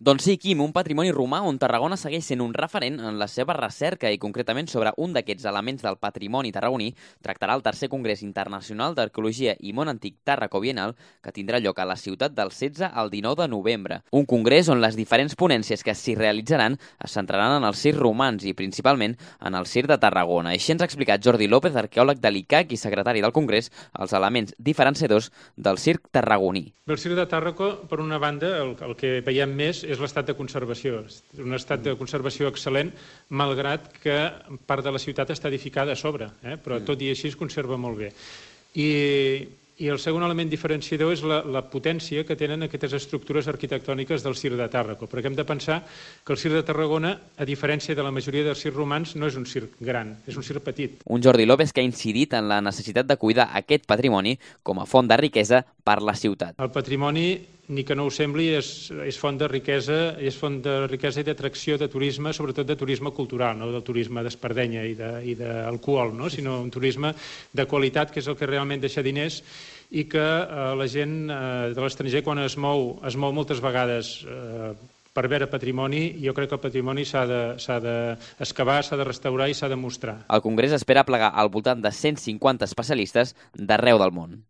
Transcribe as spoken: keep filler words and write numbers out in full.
Doncs sí, Quim, un patrimoni romà on Tarragona segueix sent un referent en la seva recerca i concretament sobre un d'aquests elements del patrimoni tarragoní tractarà el tercer Congrés Internacional d'Arqueologia i Món Antic Tàrraco Bienal que tindrà lloc a la ciutat del setze al dinou de novembre. Un congrés on les diferents ponències que s'hi realitzaran es centraran en els circs romans i principalment en el circ de Tarragona. Així ens ha explicat Jordi López, arqueòleg de l'I C A C i secretari del Congrés, els elements diferenciadors del circ tarragoní. El circ de Tàrraco, per una banda, el, el que veiem més és l'estat de conservació. Un estat de conservació excel·lent, malgrat que part de la ciutat està edificada a sobre, eh? Però tot i així es conserva molt bé. I, i el segon element diferenciador és la, la potència que tenen aquestes estructures arquitectòniques del circ de Tàrraco, perquè hem de pensar que el circ de Tarragona, a diferència de la majoria dels circs romans, no és un circ gran, és un circ petit. Un Jordi López que ha incidit en la necessitat de cuidar aquest patrimoni com a font de riquesa per la ciutat. El patrimoni, ni que no ho sembli, és, és font de riquesa, és font de riquesa i d'atracció de turisme, sobretot de turisme cultural, no del turisme d'espardenya i d'alcohol, no? Sinó un turisme de qualitat, que és el que realment deixa diners i que eh, la gent eh, de l'estranger, quan es mou, es mou moltes vegades eh, per veure patrimoni, jo crec que el patrimoni s'ha d'excavar, s'ha de restaurar i s'ha de mostrar. El Congrés espera plegar al voltant de cent cinquanta especialistes d'arreu del món.